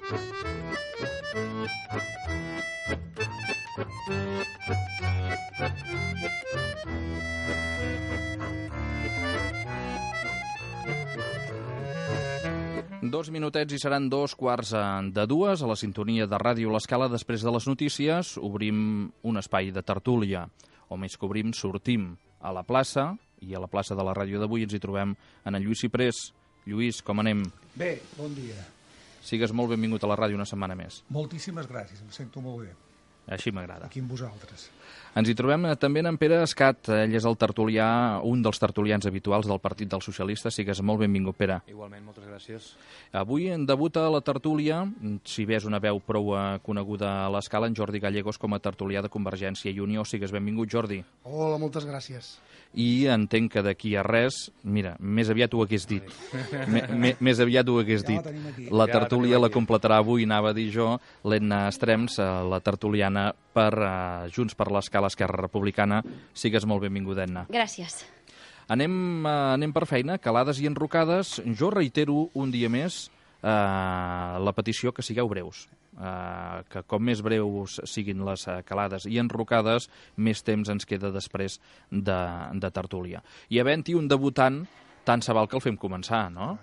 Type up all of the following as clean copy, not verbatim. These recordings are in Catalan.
Dos minutets i seran 2:15 a la sintonia de Ràdio L'Escala. Després de les notícies obrim un espai de tertúlia, o més que obrim, sortim a la plaça, i a la plaça de la ràdio d'avui ens hi trobem en Lluís Ciprés. Lluís, com anem? Bé, bon dia. Sigues molt benvingut a la ràdio una setmana més. Moltíssimes gràcies, em sento molt bé. Així m'agrada. Aquí amb vosaltres. Ens hi trobem també en Pere Escat. Ell és el tertulià, un dels tertulians habituals del Partit dels Socialistes. Sigues molt benvingut, Pere. Igualment, moltes gràcies. Avui debuta a la tertúlia, si bé és una veu prou coneguda a l'Escala, en Jordi Gallegos com a tertulià de Convergència i Unió. Sigues benvingut, Jordi. Hola, moltes gràcies. I entenc que d'aquí a res, mira, més aviat ho hagués dit. Més aviat ho hagués dit. La tertúlia la completarà avui, anava a dir jo, l'Edna Estrems, la tertuliana per Junts per l'Escala Esquerra Republicana. Sigues molt benvinguda, Edna. Gràcies. Anem per feina, calades i enrocades. Jo reitero un dia més la petició que sigueu breus. Que com més breus siguin les calades i enrocades, més temps ens queda després de tertúlia. I havent-hi un debutant, tant se val que el fem començar, no?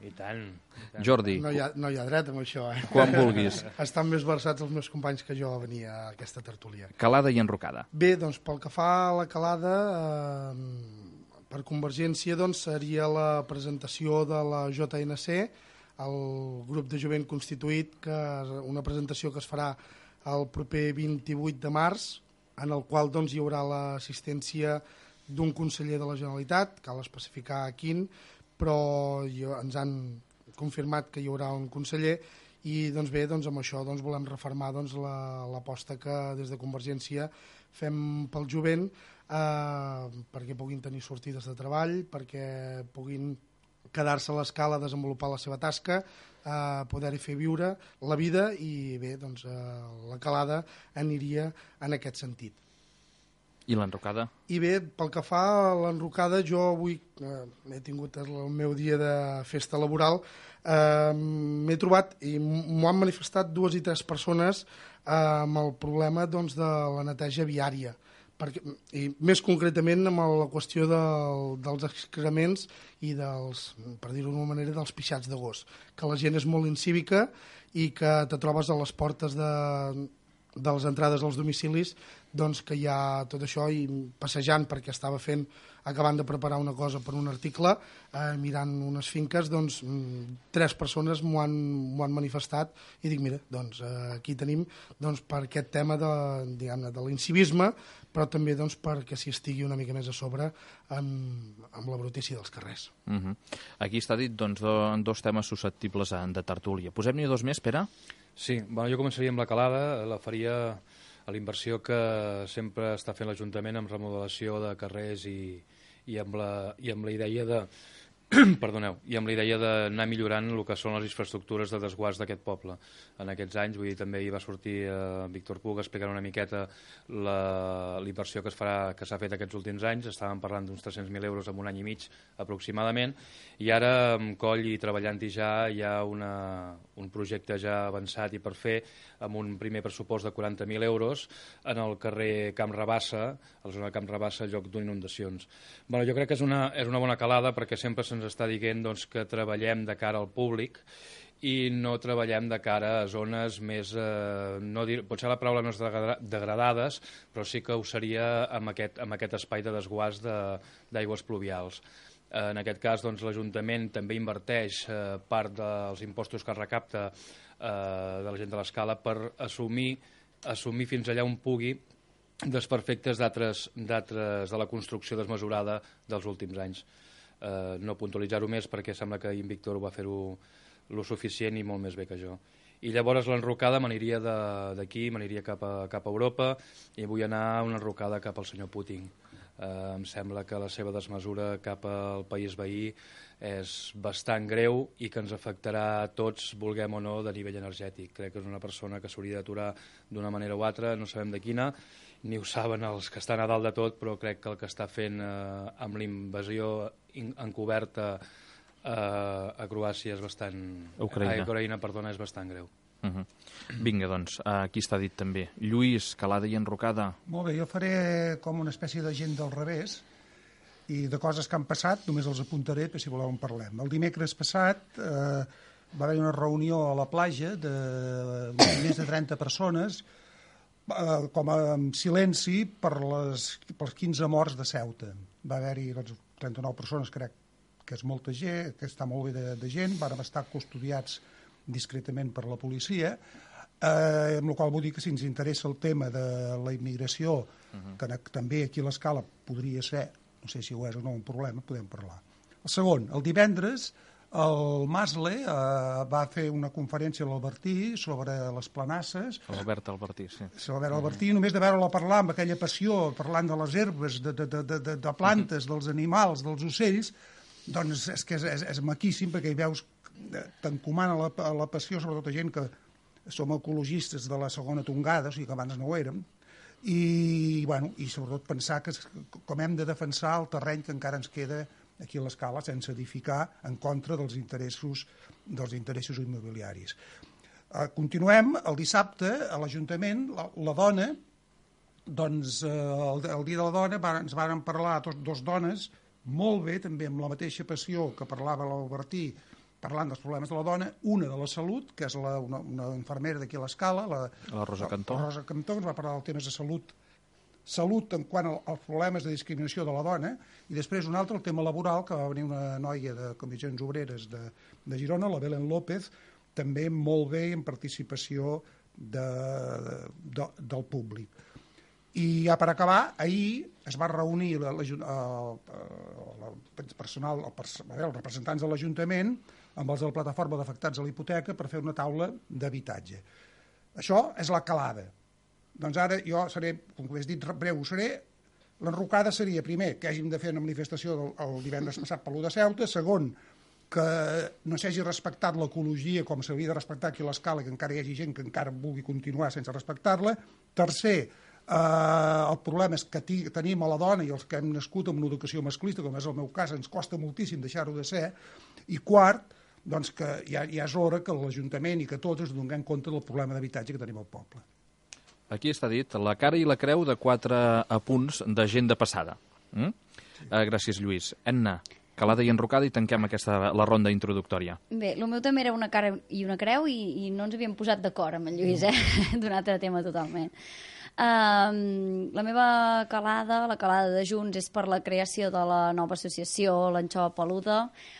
I tant. Jordi. No hi ha dret amb això, eh? Quan vulguis. Estan més versats els meus companys que jo a venir a aquesta tertúlia. Calada i enrocada. Bé, doncs pel que fa a la calada, per Convergència doncs, seria la presentació de la JNC, el grup de jovent constituït, que és una presentació que es farà el proper 28 de març, en el qual doncs, hi haurà l'assistència d'un conseller de la Generalitat, cal especificar quin, però ens han confirmat que hi haurà un conseller i doncs bé, doncs, amb això doncs, volem refermar doncs, l'aposta que des de Convergència fem pel jovent perquè puguin tenir sortides de treball, perquè puguin quedar-se a l'Escala a desenvolupar la seva tasca, poder-hi fer viure la vida i bé, doncs la calada aniria en aquest sentit. I l'enrocada? I bé, pel que fa a l'enrocada, jo avui he tingut el meu dia de festa laboral, m'he trobat i m'ho han manifestat 2 i 3 persones amb el problema doncs, de la neteja viària. I més concretament amb la qüestió dels excrements i dels, per dir-ho d'una manera, dels pixats de gos, que la gent és molt incívica i que te trobes a les portes de les entrades als domicilis doncs que hi ha tot això i passejant perquè estava acabant de preparar una cosa per un article, mirant unes finques, doncs 3 persones m'ho han manifestat i dic, mira, doncs aquí tenim doncs, per aquest tema de l'incivisme, però també doncs, perquè s'hi estigui una mica més a sobre amb la brutícia dels carrers. Aquí està dit doncs, 2 temes susceptibles de tertúlia. Posem-n'hi 2 més, Pere? Sí, bueno, jo començaria amb la calada, la faria a la inversió que sempre està fent l'Ajuntament amb remodelació de carrers i amb la idea de perdoneu, i amb la idea d'anar millorant el que són les infraestructures de desguàs d'aquest poble. En aquests anys, vull dir, també hi va sortir Víctor Puig explicant una miqueta la inversió que s'ha fet aquests últims anys. Estàvem parlant d'uns 300.000 euros en un any i mig aproximadament, i ara amb Coll i treballant-hi ja hi ha un projecte ja avançat i per fer, amb un primer pressupost de 40.000 euros en el carrer Camp Rabassa, a la zona de Camp Rabassa, al lloc d'inundacions. Bueno, jo crec que és una bona calada perquè sempre se'ns està dient doncs, que treballem de cara al públic i no treballem de cara a zones més, potser la paraula no és degradades, però sí que ho seria amb aquest espai de desguàs d'aigües pluvials. En aquest cas, doncs, l'Ajuntament també inverteix part dels impostos que recapta de la gent de l'Escala per assumir fins allà on pugui desperfectes d'altres de la construcció desmesurada dels últims anys. No puntualitzar-ho més perquè sembla que en Víctor ho va fer-ho lo suficient i molt més bé que jo. I llavors l'enrocada m'aniria d'aquí, m'aniria cap a Europa i vull anar a una enrocada cap al senyor Putin. Em sembla que la seva desmesura cap al país veí és bastant greu i que ens afectarà a tots, vulguem o no, de nivell energètic. Crec que és una persona que s'hauria d'aturar d'una manera o altra, no sabem de quina, ni ho saben els que estan a dalt de tot, però crec que el que està fent amb la invasió encoberta a Croàcia és bastant... Ucraïna, perdona, és bastant greu. Vinga, doncs, aquí està dit també. Lluís, calada i enrocada. Molt bé, jo faré com una espècie de gent del revés i de coses que han passat, només els apuntaré per si voleu en parlem. El dimecres passat va haver una reunió a la platja de més de 30 persones com a silenci per les 15 morts de Ceuta. Va haver-hi 39 persones, crec que és molta gent, que està molt bé de gent, van estar custodiats discretament per la policia, amb la qual vull dir que si ens interessa el tema de la immigració, que també aquí a l'Escala podria ser, no sé si ho és o no un problema, podem parlar. El segon, el divendres, el Masle va fer una conferència a l'Albertí sobre les planasses. L'Albert Albertí, sí. L'Albert Albertí, només de veure-la parlar amb aquella passió, parlant de les herbes, de plantes, dels animals, dels ocells, doncs és que és maquíssim, perquè hi veus, t'encomana la passió, sobretot a gent que som ecologistes de la segona tongada, o sigui que abans no ho érem, i sobretot pensar que com hem de defensar el terreny que encara ens queda aquí a l'Escala sense edificar en contra dels interessos immobiliaris. Continuem, el dissabte a l'Ajuntament, la dona, doncs el dia de la dona ens varen parlar dos dones molt bé, també amb la mateixa passió que parlava l'Albertí, parlant dels problemes de la dona, una de la salut, que és una infermera d'aquí a l'Escala, la Rosa Cantó. La Rosa Cantó, ens va parlar dels temes de salut en quant als problemes de discriminació de la dona, i després un altre, el tema laboral, que va venir una noia de Comissions Obreres de Girona, la Belén López, també molt bé en participació del públic. I ja per acabar, ahir es va reunir els representants de l'Ajuntament amb els de la plataforma d'afectats a la hipoteca per fer una taula d'habitatge. Això és la calada. Doncs ara jo seré, com he dit, breu seré. L'enrocada seria, primer, que hàgim de fer una manifestació el divendres passat per l'1 de Ceuta, segon, que no s'hagi respectat l'ecologia com s'hauria de respectar aquí a l'Escala, que encara hi hagi gent que encara vulgui continuar sense respectar-la. Tercer, el problema és que tenim a la dona i els que hem nascut amb una educació masclista, com és el meu cas, ens costa moltíssim deixar-ho de ser. I quart, doncs que ja és hora que l'Ajuntament i que tots ens donem compte del problema d'habitatge que tenim al poble. Aquí està dit la cara i la creu de 4 apunts de gent de passada. Gràcies, Lluís. Enna, calada i enrocada, i tanquem la ronda introductòria. Bé, el meu també era una cara i una creu i no ens havíem posat d'acord amb en Lluís, d'un altre tema totalment. La meva calada, la calada de Junts, és per la creació de la nova associació l'Anxova Peluda,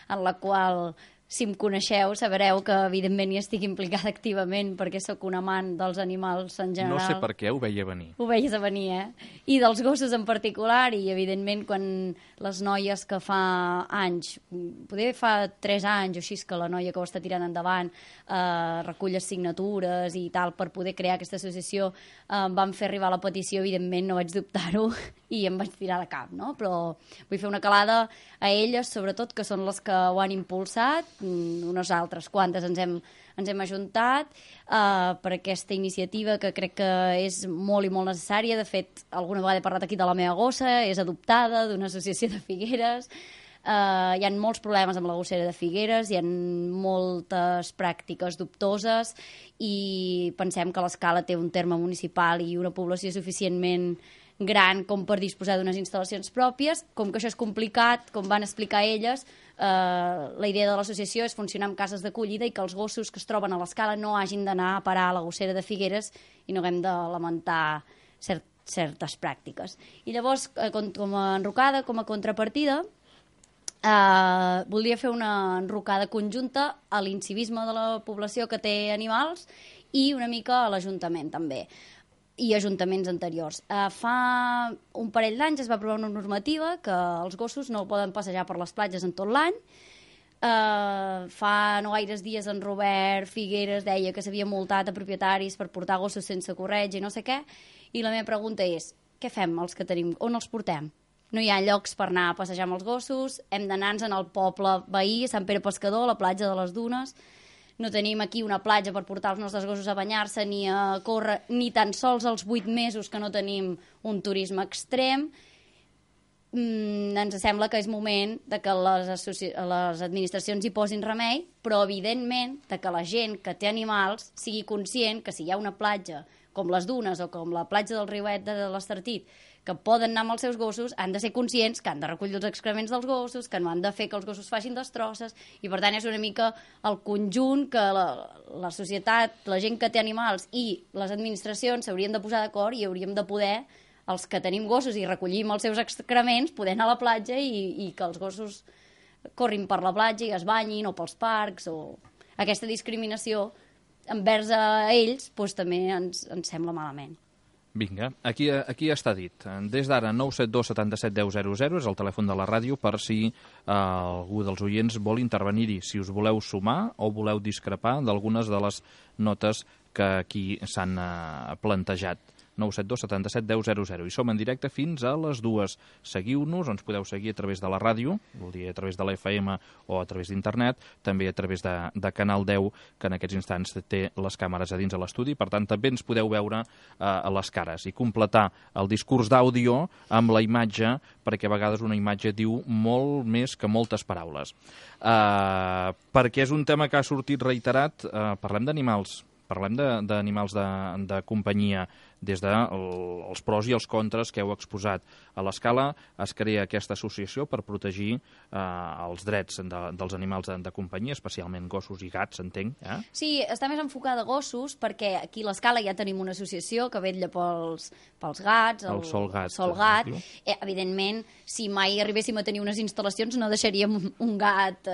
en la qual, si em coneixeu, sabreu que evidentment hi estic implicada activament perquè sóc un amant dels animals en general. No sé per què, ho veia venir. Ho veies a venir, I dels gossos en particular, i evidentment quan les noies que fa anys, poder fa 3 anys o així, que la noia que ho està tirant endavant recull signatures i tal per poder crear aquesta associació, van fer arribar la petició, evidentment no vaig dubtar-ho i em vaig tirar de cap, no? Però vull fer una calada a elles, sobretot, que són les que ho han impulsat, unes altres quantes ens hem ajuntat per aquesta iniciativa que crec que és molt i molt necessària. De fet, alguna vegada he parlat aquí de la meva gossa, és adoptada d'una associació de Figueres. Hi ha molts problemes amb la gossera de Figueres, hi ha moltes pràctiques dubtoses i pensem que l'Escala té un terme municipal i una població suficientment gran com per disposar d'unes instal·lacions pròpies. Com que això és complicat, com van explicar elles, la idea de l'associació és funcionar amb cases d'acollida i que els gossos que es troben a l'Escala no hagin d'anar a parar a la gossera de Figueres i no haguem de lamentar certes pràctiques. I llavors, com a enrocada, com a contrapartida, voldria fer una enrocada conjunta a l'incivisme de la població que té animals i una mica a l'Ajuntament també, i ajuntaments anteriors. Fa un parell d'anys es va aprovar una normativa que els gossos no poden passejar per les platges en tot l'any. Fa no gaires dies en Robert Figueres deia que s'havia multat a propietaris per portar gossos sense corretja i no sé què, i la meva pregunta és, què fem els que tenim? On els portem? No hi ha llocs per anar a passejar amb els gossos, hem d'anar-nos al poble veí, a Sant Pere Pescador, a la platja de les Dunes. No tenim aquí una platja per portar els nostres gossos a banyar-se ni a córrer, ni tan sols els 8 mesos que no tenim un turisme extrem. ens sembla que és moment de que les administracions hi posin remei, però evidentment de que la gent que té animals sigui conscient que si hi ha una platja com les Dunes o com la platja del Riuet de l'Estartit, que poden anar amb els seus gossos, han de ser conscients que han de recollir els excrements dels gossos, que no han de fer que els gossos facin destrosses, i per tant és una mica el conjunt que la societat, la gent que té animals i les administracions s'haurien de posar d'acord i hauríem de poder, els que tenim gossos i recollim els seus excrements, poder anar a la platja i que els gossos corrin per la platja i es banyin, o pels parcs, o aquesta discriminació envers a ells doncs, també ens sembla malament. Vinga, aquí està dit. Des d'ara, 972 77 10 00 és el telèfon de la ràdio per si algú dels oients vol intervenir-hi, si us voleu sumar o voleu discrepar d'algunes de les notes que aquí s'han plantejat. 972 77 10 00. I som en directe fins a les 2. Seguiu-nos, ens podeu seguir a través de la ràdio, vol dir a través de la FM o a través d'internet, també a través de Canal 10, que en aquests instants té les càmeres a dins de l'estudi, per tant també ens podeu veure a les cares i completar el discurs d'àudio amb la imatge, perquè a vegades una imatge diu molt més que moltes paraules. Perquè és un tema que ha sortit reiterat, parlem d'animals. Parlem d'animals de companyia, des dels pros i els contres que heu exposat. A l'Escala es crea aquesta associació per protegir els drets dels animals de companyia, especialment gossos i gats, entenc. Sí, està més enfocada a gossos, perquè aquí a l'Escala ja tenim una associació que vetlla pels gats, el Sol Gat. Evidentment, si mai arribéssim a tenir unes instal·lacions no deixaríem un gat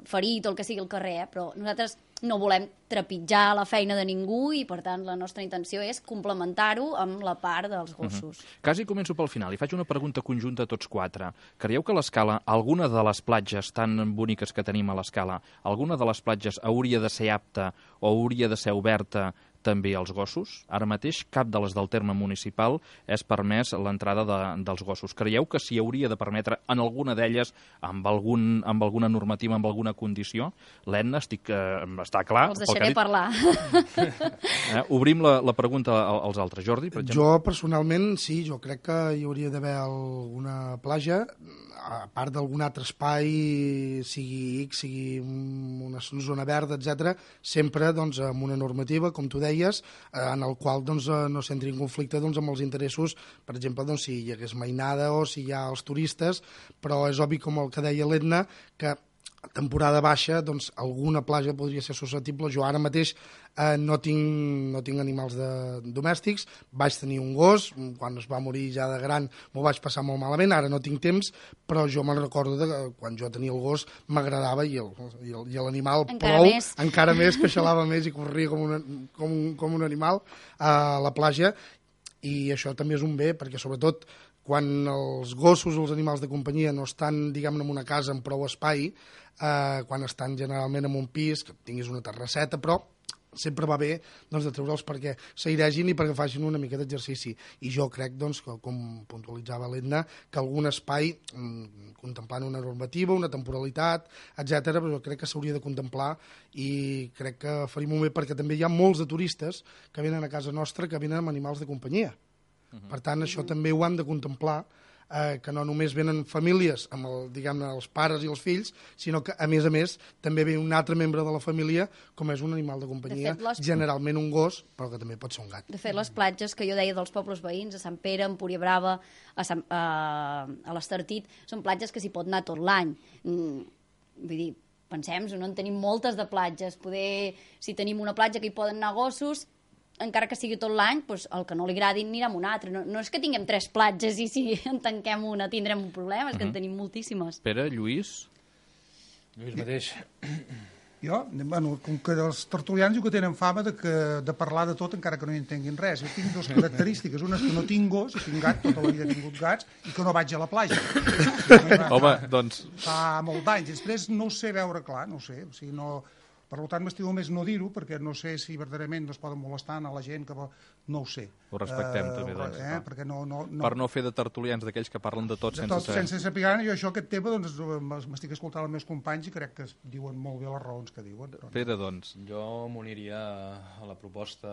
ferit o el que sigui al carrer, però nosaltres no volem trepitjar la feina de ningú i, per tant, la nostra intenció és complementar-ho amb la part dels gossos. Quasi començo pel final. I faig una pregunta conjunta a tots quatre. Creieu que a l'Escala, alguna de les platges tan boniques que tenim a l'Escala, alguna de les platges hauria de ser apta o hauria de ser oberta també als gossos? Ara mateix cap de les del terme municipal és permès l'entrada dels gossos. Creieu que s'hi hauria de permetre en alguna d'elles amb alguna normativa, amb alguna condició? L'Edna, està clar. Els deixaré parlar. Obrim la pregunta als altres. Jordi, per exemple? Jo, personalment, sí, jo crec que hi hauria d'haver alguna platja, a part d'algun altre espai, sigui X, sigui una zona verda, etc, sempre doncs, amb una normativa, com tu deies, en el qual doncs, no s'entri en conflicte doncs, amb els interessos, per exemple, doncs, si hi hagués mainada o si hi ha els turistes, però és obvi, com el que deia l'Edna, que a temporada baixa, doncs, alguna platja podria ser susceptible. Jo ara mateix no tinc animals domèstics, vaig tenir un gos, quan es va morir ja de gran m'ho vaig passar molt malament, ara no tinc temps, però jo me'n recordo que quan jo tenia el gos m'agradava i l'animal encara més, que xalava més i corria com un animal a la platja, i això també és un bé, perquè sobretot quan els gossos o els animals de companyia no estan, diguem-ne, en una casa amb prou espai, quan estan generalment en un pis, que tinguis una terrasseta, però sempre va bé doncs, de treure'ls perquè s'airegin i perquè facin una mica d'exercici. I jo crec, doncs, que, com puntualitzava l'Edna, que algun espai, contemplant una normativa, una temporalitat, etc., però jo crec que s'hauria de contemplar i crec que faria molt bé, perquè també hi ha molts de turistes que venen a casa nostra que venen amb animals de companyia. Per tant, això també ho han de contemplar, que no només venen famílies amb els pares i els fills, sinó que, a més, també ve un altre membre de la família, com és un animal de companyia, generalment un gos, però que també pot ser un gat. De fet, les platges que jo deia dels pobles veïns, a Sant Pere, a Empúria Brava, a l'Estartit, són platges que s'hi pot anar tot l'any. Vull dir, pensem, no en tenim moltes de platges. Poder, si tenim una platja que hi poden anar gossos, encara que sigui tot l'any, doncs el que no li agradi anirà a una altra. No és que tinguem 3 platges i si en tanquem una tindrem un problema, és que en tenim moltíssimes. Pere, Lluís? Lluís mateix. Jo, com que els tertulians diu que tenen fama de parlar de tot encara que no hi entenguin res. Jo tinc 2 característiques. Una és que no tinc gos, i tinc gat, tota la vida he tingut gats, i que no vaig a la platja. Home, doncs... Fa molt d'anys. Després no ho sé veure clar, no ho sé. O sigui, no... Per tant, m'estimo més no dir-ho, perquè no sé si verdaderament no es poden molestar a la gent que no ho sé. Ho respectem, també, doncs. Perquè Per no fer de tertulians d'aquells que parlen de tot sense saber. Sense saber, jo aquest tema doncs, m'estic escoltant els meus companys i crec que diuen molt bé les raons que diuen. Pere, doncs. Jo m'uniria a la proposta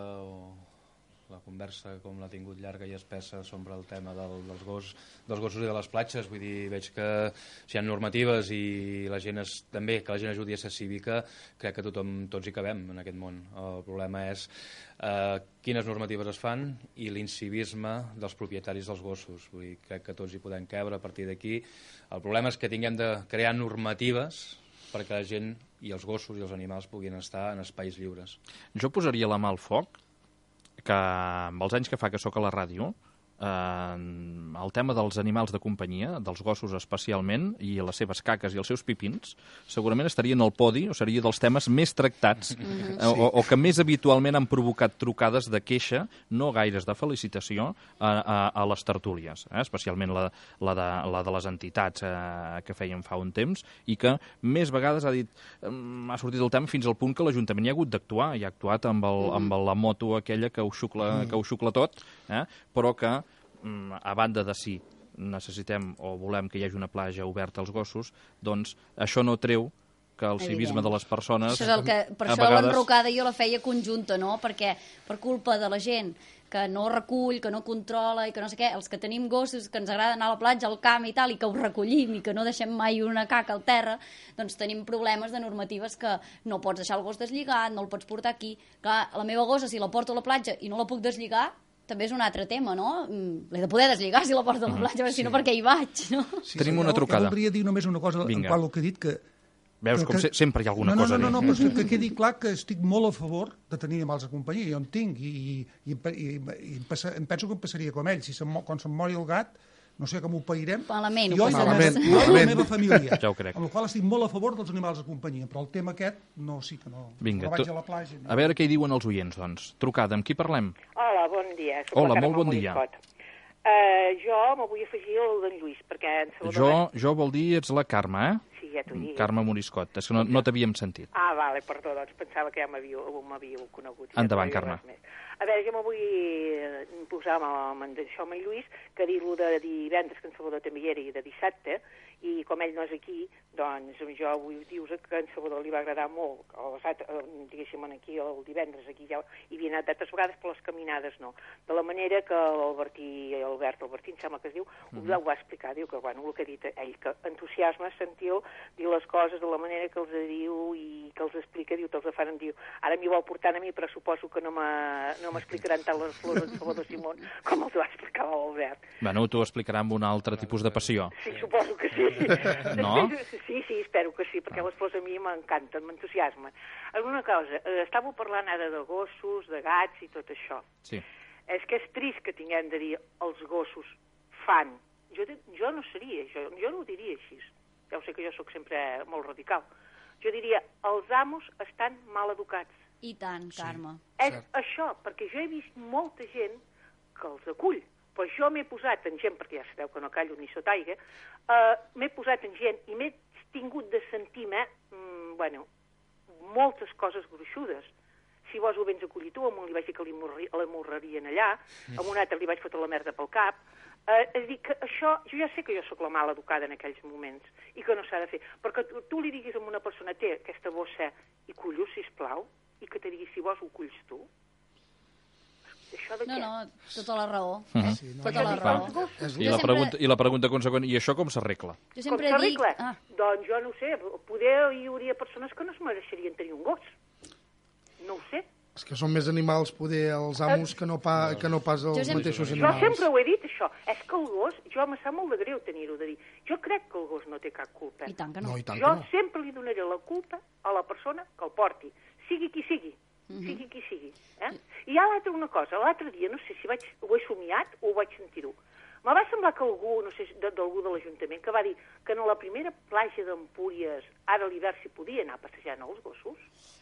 la conversa com l'ha tingut llarga i espessa sobre el tema dels gossos i de les platges. Vull dir, veig que si hi ha normatives i la gent també que la gent ajudi a ser cívica, crec que tots hi cabem en aquest món. El problema és quines normatives es fan i l'incivisme dels propietaris dels gossos. Vull dir, crec que tots hi podem cabre a partir d'aquí. El problema és que tinguem de crear normatives perquè la gent i els gossos i els animals puguin estar en espais lliures. Jo posaria la mà al foc que amb els anys que fa que sóc a la ràdio, el tema dels animals de companyia, dels gossos especialment, i les seves caques i els seus pipins, segurament estarien al podi, o seria dels temes més tractats, o que més habitualment han provocat trucades de queixa, no gaires de felicitació, a les tertúlies, especialment la de les entitats que feien fa un temps, i que més vegades ha sortit el tema fins al punt que l'Ajuntament hi ha hagut d'actuar, i ha actuat amb la moto aquella que ho xucla tot, però que a banda de si necessitem o volem que hi hagi una platja oberta als gossos, doncs això no treu que el civisme de les persones... Per això l'enrocada jo la feia conjunta, no? Perquè per culpa de la gent que no recull, que no controla i que no sé què, els que tenim gossos, que ens agrada anar a la platja, al camp i tal, i que ho recollim i que no deixem mai una caca al terra, doncs tenim problemes de normatives que no pots deixar el gos deslligat, no el pots portar aquí. Clar, la meva gossa, si la porto a la platja i no la puc deslligar, també és un altre tema, no? L'he de poder deslligar si la porto a la platja, si no perquè hi vaig, no? Tenim una trucada. Jo voldria dir només una cosa en quant al que he dit, que... Veus com sempre hi ha alguna cosa a dir. No, però que quedi clar que estic molt a favor de tenir animals de companyia, jo en tinc, i em penso que em passaria com ell, quan se'm mori el gat, no sé com ho pairem, malament, jo i la meva família, ja ho crec. amb la qual estic molt a favor dels animals de companyia, però el tema aquest sí que no. Vinga, vaig a la platja. A veure què hi diuen els oients, doncs. Trucada, amb qui parlem? Hola, bon dia. Hola, molt bon dia. Jo me vull afegir al d'en Lluís, perquè en Salvador... Jo vol dir ets la Carme, Sí, ja t'ho dic. Carme Moriscot, és que no t'havíem sentit. Vale, perdó, doncs pensava que ja m'havíeu conegut. Endavant, Carme. A veure, jo me vull posar amb això amb en Lluís, que dir-lo de divendres, que en Salvador també hi era, i de dissabte, i com ell no és aquí, doncs jo vull dir-vos que en Salvador li va agradar molt, diguéssim, aquí el divendres, aquí ja hi havia anat d'altres vegades, però les caminades no. De la manera que Albertí, em sembla que es diu, ho va explicar, diu que, bueno, el que ha dit ell, que entusiasme sentir dir les coses de la manera que els diu i que els explica, diu, te'ls fan, diu, ara m'hi vol portar a mi, però suposo que no m'explicaran tant les flors de Salvador Simón com els va explicar l'Albert. Bueno, t'ho explicarà amb un altre tipus de passió. Sí, suposo que sí. No? Sí, espero que sí, perquè les flors a mi m'encanten, m'entusiasmen. Alguna cosa, estàveu parlant ara de gossos, de gats i tot això. Sí. És que és trist que tinguem de dir els gossos fan. Jo no seria, jo no ho diria així. Ja ho sé que jo sóc sempre molt radical. Jo diria, els amos estan mal educats. I tant, Carme. És això, perquè jo he vist molta gent que els acull, però jo m'he posat en gent, perquè ja sabeu que no callo ni sota aigua, m'he posat en gent i m'he tingut de sentir-me, moltes coses gruixudes. Si vos ho vens acollir tu, amb un li vaig dir que l'amorrarien allà, amb un altre li vaig fotre la merda pel cap. És a dir, que això, jo ja sé que jo sóc la mal educada en aquells moments i que no s'ha de fer, perquè tu li diguis a una persona, té aquesta bossa i cullo, sisplau, i que te digui si vols ho culls tu. Això de què? No, tota la raó. Tota la raó. I la pregunta consegüent, i això com s'arregla? Jo sempre dic... Doncs jo no ho sé, poder hi hauria persones que no es mereixerien tenir un gos. No ho sé. És que són més animals, poder, els amos, que no pas els mateixos animals. Jo sempre ho he dit, això. És que el gos, jo em sap molt de greu tenir-ho de dir. Jo crec que el gos no té cap culpa. I tant que no. Jo sempre li donaré la culpa a la persona que el porti, sigui qui sigui. Sigui qui sigui. I hi ha una cosa, l'altre dia, no sé si ho he somiat o ho vaig sentir-ho. Me va semblar que algú, no sé, d'algú de l'Ajuntament, que va dir que en la primera platja d'Empúries, ara a l'hivern s'hi podia anar passejant els gossos.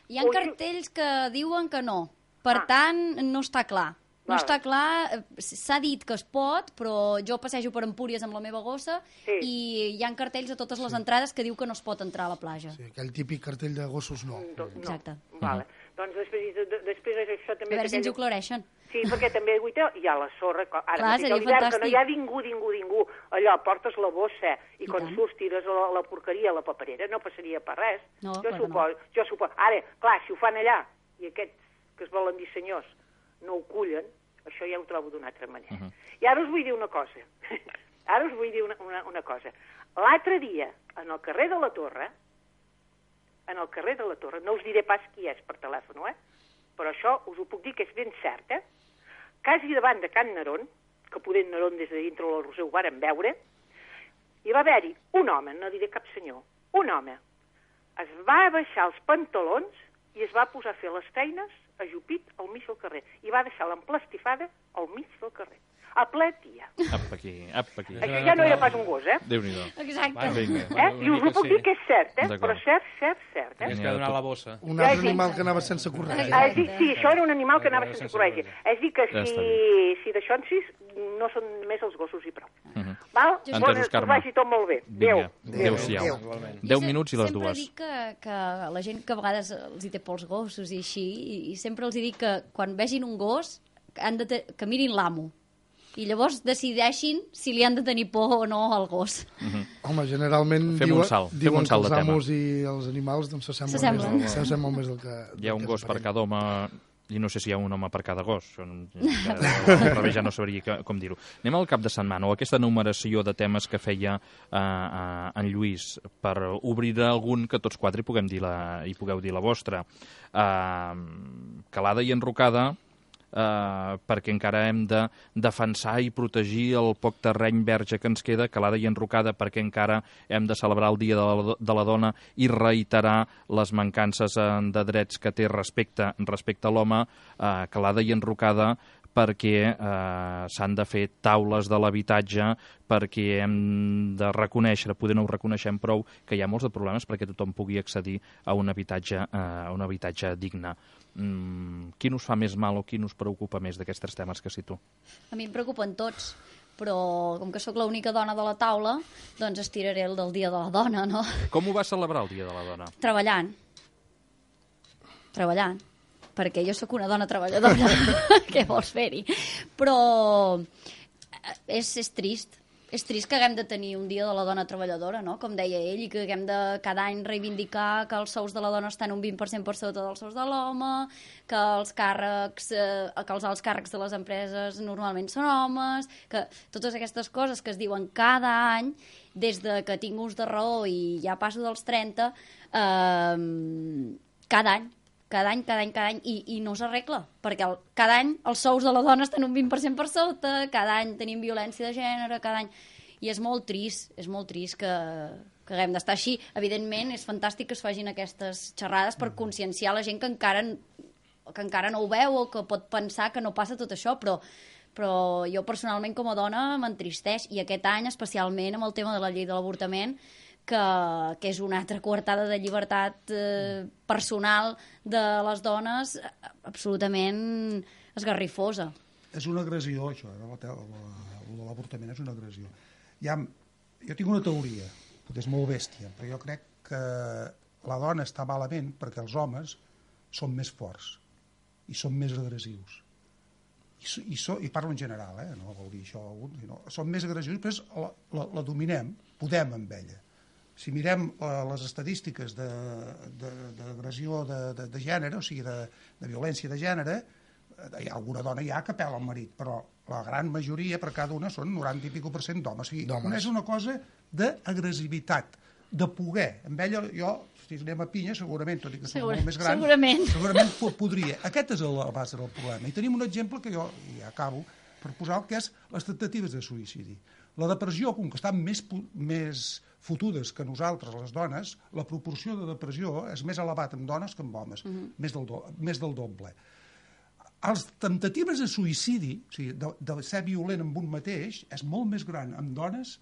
Hi ha cartells que diuen que no. Per tant, no està clar. No està clar, s'ha dit que es pot, però jo passejo per Empúries amb la meva gossa i hi ha cartells a totes les entrades que diu que no es pot entrar a la platja. Sí, aquell típic cartell de gossos no. Exacte. Vale. Doncs després això també... A veure si ens ho aclareixen. Sí, perquè també hi ha la sorra, ara clar, seria fantàstic. Que no hi ha ningú, allò, portes la bossa i quan surts tires la porqueria a la paperera, no passaria per res. No, jo suposo. Ara, clar, si ho fan allà, i aquests que es volen dir senyors no ho cullen, Això ja ho trobo d'una altra manera. I ara us vull dir una cosa. Ara us vull dir una cosa. L'altre dia, en el carrer de la Torre, no us diré pas qui és per telèfon, però això us ho puc dir que és ben cert, quasi davant de Can Nerón, que poder Nerón des de dintre del Roser ho varen veure, hi va haver-hi un home, no diré cap senyor, un home, es va baixar els pantalons i es va posar a fer les feines ajupit al mig del carrer. I va deixar l'emplastifada al mig del carrer. A ple dia. Apa aquí. Això ja no era pas un gos, Déu-n'hi-do. Exacte. I us ho puc dir que és cert, però cert. És que ha donat la bossa. Un altre animal que anava sense corretja. Sí, això era un animal que anava sense corretja. És dir, que si d'això en sis, no són més els gossos i prou. Val? Entesos, Carme. Que vagi tot molt bé. Adéu. Adéu-siau. 10 minuts i les Sempre dues. dic que la gent que a vegades els hi té por als gossos i així, i sempre els hi dic que quan vegin un gos que mirin l'amo. I llavors decideixin si li han de tenir por o no al gos. Home, generalment Fem un salt diuen que de els tema. amos i els animals doncs, s'assemblen més del que... Hi ha un gos per cada home i no sé si hi ha un home per cada gos. Al revés ja no sabria com dir-ho. Anem al cap de setmana, o aquesta enumeració de temes que feia en Lluís, per obrir algun que tots quatre hi pugueu dir la vostra. Calada i enrocada, perquè encara hem de defensar i protegir el poc terreny verge que ens queda, calada i enrocada perquè encara hem de celebrar el Dia de la Dona i reiterar les mancances de drets que té respecte a l'home, calada i enrocada perquè s'han de fer taules de l'habitatge, perquè hem de reconèixer, poder no ho reconeixem prou, que hi ha molts de problemes perquè tothom pugui accedir a un habitatge digne. Quin us fa més mal o quin us preocupa més d'aquests tres temes que cito? A mi em preocupen tots, però com que sóc l'única dona de la taula, doncs estiraré el del Dia de la Dona, no? Com ho vas celebrar el Dia de la Dona? Treballant, perquè jo sóc una dona treballadora. Què vols fer-hi? Però és trist. És trist que haguem de tenir un Dia de la Dona treballadora, no? Com deia ell, i que haguem de cada any reivindicar que els sous de la dona estan un 20% per sota dels sous de l'home, que els alts càrrecs de les empreses normalment són homes, que totes aquestes coses que es diuen cada any, des de que tinc ús de raó i ja passo dels 30, cada any, i no s'arregla, perquè cada any els sous de la dona estan un 20% per sota, cada any tenim violència de gènere, cada any... I és molt trist que haguem d'estar així. Evidentment, és fantàstic que es facin aquestes xerrades per conscienciar la gent que encara no ho veu o que pot pensar que no passa tot això, però jo personalment com a dona m'entristeix, i aquest any especialment amb el tema de la llei de l'avortament, que és una altra coartada de llibertat personal de les dones absolutament esgarrifosa. És una agressió, això, l'avortament és una agressió. Jo tinc una teoria, que és molt bèstia, però jo crec que la dona està malament perquè els homes són més forts i són més agressius. I parlo en general, no vol dir això, són més agressius, però la dominem, podem amb ella. Si mirem les estadístiques d'agressió de gènere, o sigui, de violència de gènere, hi ha alguna dona ja que pela el marit, però la gran majoria per cada una són 90 i escaig % d'homes. O sigui, és una cosa d'agressivitat, de poder. Amb ella, si anem a pinya, segurament, tot i que són molt més grans, segurament podria. Aquest és la base del problema. I tenim un exemple que jo ja acabo per posar, que és les temptatives de suïcidi. La depressió, com que estan més fotudes que nosaltres, les dones, la proporció de depressió és més elevat en dones que en homes, més del doble. Les temptatives de suïcidi, o sigui, de ser violent amb un mateix, és molt més gran en dones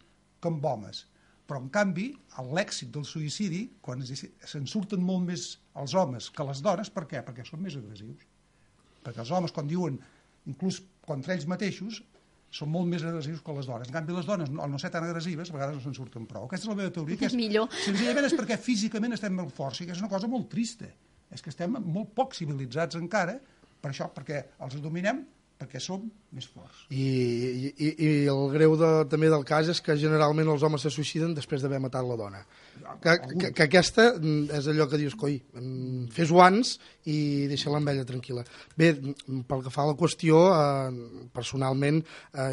que en homes. Però, en canvi, l'èxit del suïcidi, quan se'n surten molt més els homes que les dones, per què? Perquè són més agressius. Perquè els homes, quan diuen, inclús contra ells mateixos, són molt més agressius que les dones. En canvi, les dones, al no ser tan agressives, a vegades no se'n surten prou. Aquesta és la meva teoria, que és millor. Senzillament és perquè físicament estem molt forts, i que és una cosa molt trista. És que estem molt poc civilitzats encara, per això, perquè els dominem, perquè som més forts. I el greu també del cas és que generalment els homes se suïciden després d'haver matat la dona. Que aquesta és allò que dius, coi, fes-ho abans i deixa l'envella tranquil·la. Bé, pel que fa a la qüestió, personalment,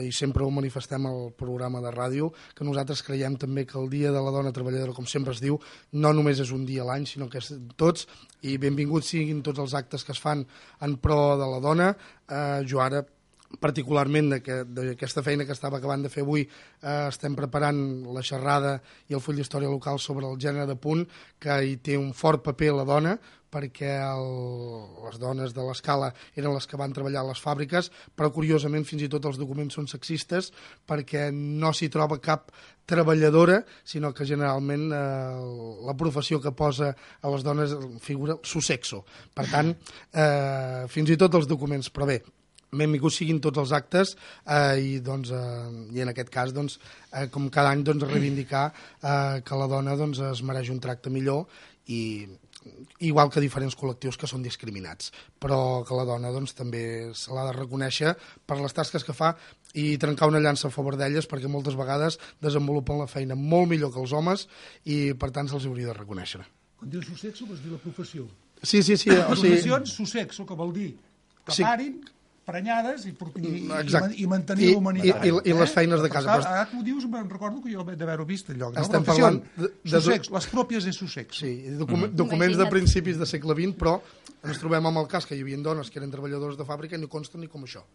i sempre ho manifestem al programa de ràdio, que nosaltres creiem també que el Dia de la Dona Treballadora, com sempre es diu, no només és un dia a l'any, sinó que és tots, i benvinguts siguin tots els actes que es fan en pro de la dona. Jo ara, particularment d'aquesta feina que estava acabant de fer avui, estem preparant la xerrada i el full d'història local sobre el gènere de punt, que hi té un fort paper la dona, perquè les dones de l'escala eren les que van treballar a les fàbriques, però curiosament fins i tot els documents són sexistes perquè no s'hi troba cap treballadora, sinó que generalment la professió que posa a les dones figura su sexo. Per tant, fins i tot els documents, però bé, benvinguts siguin tots els actes i en aquest cas, com cada any, reivindicar que la dona es mereix un tracte millor, i igual que diferents col·lectius que són discriminats, però que la dona també se l'ha de reconèixer per les tasques que fa i trencar una llança a favor d'elles, perquè moltes vegades desenvolupen la feina molt millor que els homes i per tant se'ls hauria de reconèixer. Quan dius su sexo vols dir la professió. Sí. Professions, su sexo, que vol dir que parin prenyades i mantenir la humanitat. I les feines de casa. Ara tu ho dius, me'n recordo que jo d'haver-ho vist al lloc. Estem parlant les pròpies de su sexo. Sí, documents de principis del segle XX, però ens trobem amb el cas que hi havia dones que eren treballadors de fàbrica i no consten ni com això.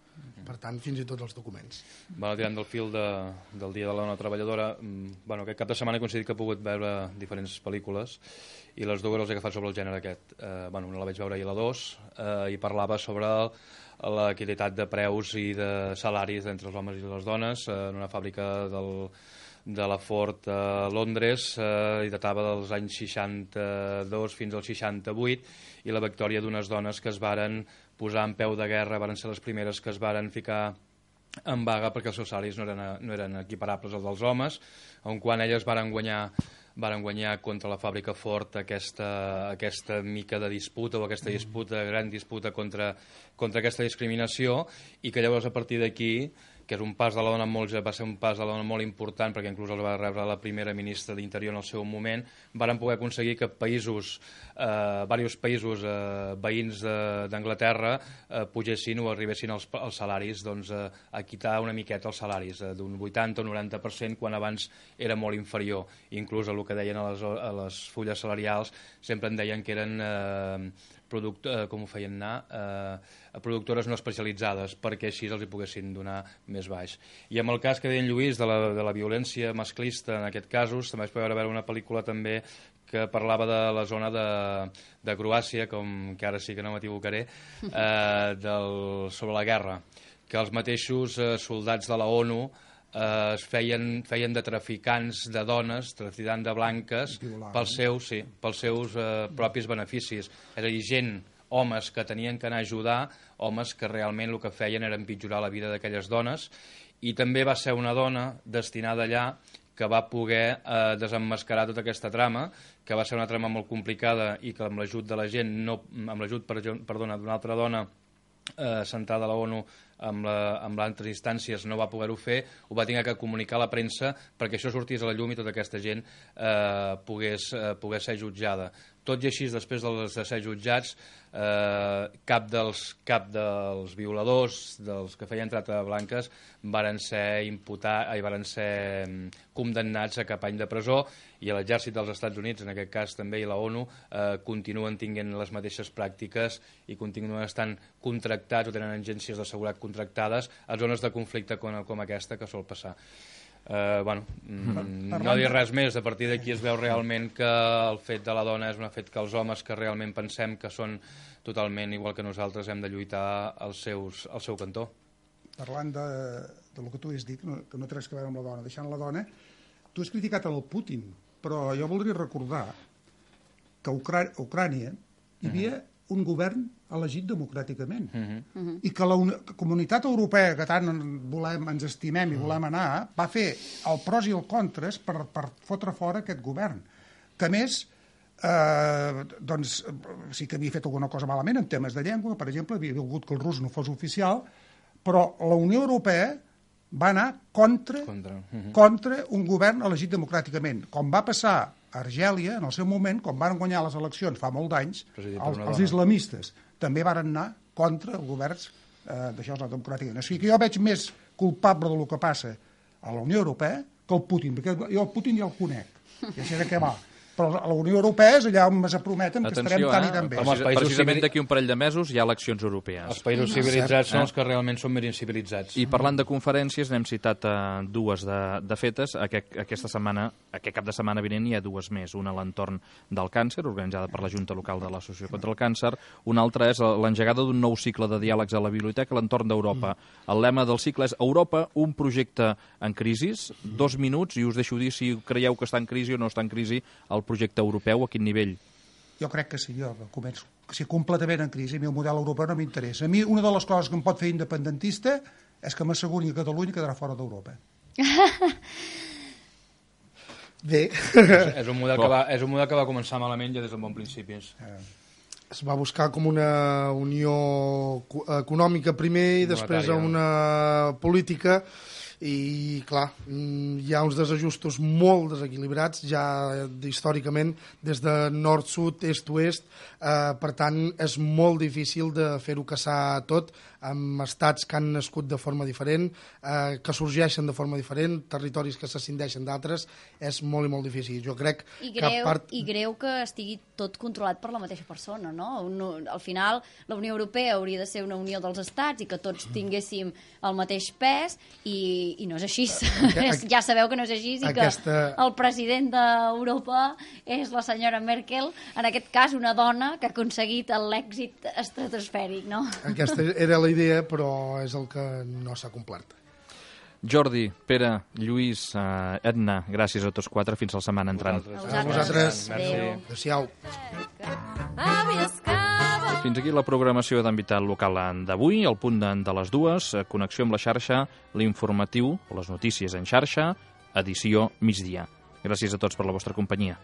Per tant, fins i tot els documents. Tirant del fil del Dia de la Dona Treballadora, aquest cap de setmana he coincidit que he pogut veure diferents pel·lícules i les dues les he agafat sobre el gènere aquest. Una la vaig veure ahir a la 2 i parlava sobre l'equitat de preus i de salaris entre els homes i les dones en una fàbrica de la Ford a Londres, i datava dels anys 62 fins al 68, i la victòria d'unes dones que es varen posar en peu de guerra, varen ser les primeres que es varen ficar en vaga perquè els seus salaris no eren equiparables als dels homes, on quan elles varen guanyar contra la fàbrica Ford aquesta mica de disputa o aquesta gran disputa contra aquesta discriminació, i que llavors a partir d'aquí, que és un pas de la dona va ser un pas de la dona molt important, perquè inclús el va rebre la primera ministra d'Interior en el seu moment, varen poder aconseguir que diversos països veïns d'Anglaterra pugessin o arribessin els salaris, a quitar una miqueta els salaris, d'un 80 o 90%, quan abans era molt inferior. Inclús el que deien a les fulles salarials sempre en deien que eren productores no especialitzades, perquè així els hi poguessin donar més baix. I amb el cas que deia en Lluís de la violència masclista en aquest casos, també es podia veure una pel·lícula també que parlava de la zona de Croàcia, que ara sí que no m'equivocaré, sobre la guerra, que els mateixos soldats de la ONU es feien de traficants de dones, traficant de blanques, pels seus propis beneficis. És a dir, homes que tenien que anar a ajudar, homes que realment el que feien era empitjorar la vida d'aquelles dones, i també va ser una dona destinada allà que va poder desemmascarar tota aquesta trama, que va ser una trama molt complicada i que amb l'ajut de la gent, amb l'ajut d'una altra dona sentada a la ONU amb altres instàncies no va poder-ho fer, ho va haver de comunicar a la premsa perquè això sortís a la llum i tota aquesta gent pogués ser jutjada. Tot i així, després de ser jutjats, cap dels violadors, dels que feien tracte de blanques, varen ser condemnats a cap any de presó, i l'exèrcit dels Estats Units, en aquest cas també, i la ONU, continuen tinguent les mateixes pràctiques i continuen estant contractats o tenen agències de seguretat contractades a zones de conflicte com aquesta que sol passar. No dir res més. A partir d'aquí es veu realment que el fet de la dona és un fet que els homes que realment pensem que són totalment igual que nosaltres hem de lluitar al seu cantó. Parlant del que tu has dit, que no té res a veure amb la dona, deixant la dona, tu has criticat el Putin, però jo voldria recordar que a Ucrània hi havia un govern elegit democràticament i que la comunitat europea, que tant ens estimem i volem anar, va fer el pros i el contres per fotre fora aquest govern, que a més sí que havia fet alguna cosa malament en temes de llengua, per exemple, havia volgut que el rus no fos oficial, Però la Unió Europea va anar contra un govern elegit democràticament, com va passar a Argèlia en el seu moment, quan van guanyar les eleccions fa molt d'anys, els islamistes també van anar contra els governs d'això democràticament. O sigui que jo veig més culpable del que passa a la Unió Europea que el Putin, perquè jo el Putin ja el conec, ja sé de què va. Però a la Unió Europea és allà on ens prometen que estarem tan i tan bé. Precisament d'aquí un parell de mesos hi ha eleccions europees. Els països civilitzats són els que realment són més incivilitzats. I parlant de conferències, n'hem citat dues de fetes. Aquest cap de setmana vinent hi ha dues més. Una a l'entorn del càncer, organitzada per la Junta Local de l'Associació contra el Càncer. Una altra és l'engegada d'un nou cicle de diàlegs a la biblioteca a l'entorn d'Europa. El lema del cicle és Europa, un projecte en crisi. 2 minuts, i us deixo dir si creieu que està en crisi o no està en crisi el projecte europeu, a quin nivell? Jo crec que sí, jo començo. Que sí, completament en crisi. A mi el model europeu no m'interessa. A mi una de les coses que em pot fer independentista és que m'asseguri que Catalunya quedarà fora d'Europa. Bé. És un model que va començar malament ja des del bon principi. Es va buscar com una unió econòmica primer i després una política. I, clar, hi ha uns desajustos molt desequilibrats, ja històricament, des de nord-sud, est-oest, per tant, és molt difícil de fer-ho caçar tot, amb estats que han nascut de forma diferent, que sorgeixen de forma diferent, territoris que s'ascindeixen d'altres, és molt i molt difícil. Jo crec I greu que estigui tot controlat per la mateixa persona, no? Al final, la Unió Europea hauria de ser una unió dels estats i que tots tinguéssim el mateix pes i no és així. Ja sabeu que no és així i que el president d'Europa és la senyora Merkel, en aquest cas una dona que ha aconseguit l'èxit estratosfèric, no? Aquesta era la idea, però és el que no s'ha complert. Jordi, Pere, Lluís, Edna, gràcies a tots quatre. Fins la setmana entrant. A vosaltres. Adéu-siau. Fins aquí la programació d'Envitat Local d'avui. Al punt de les 2, connexió amb la xarxa, l'informatiu, o les notícies en xarxa, edició migdia. Gràcies a tots per la vostra companyia.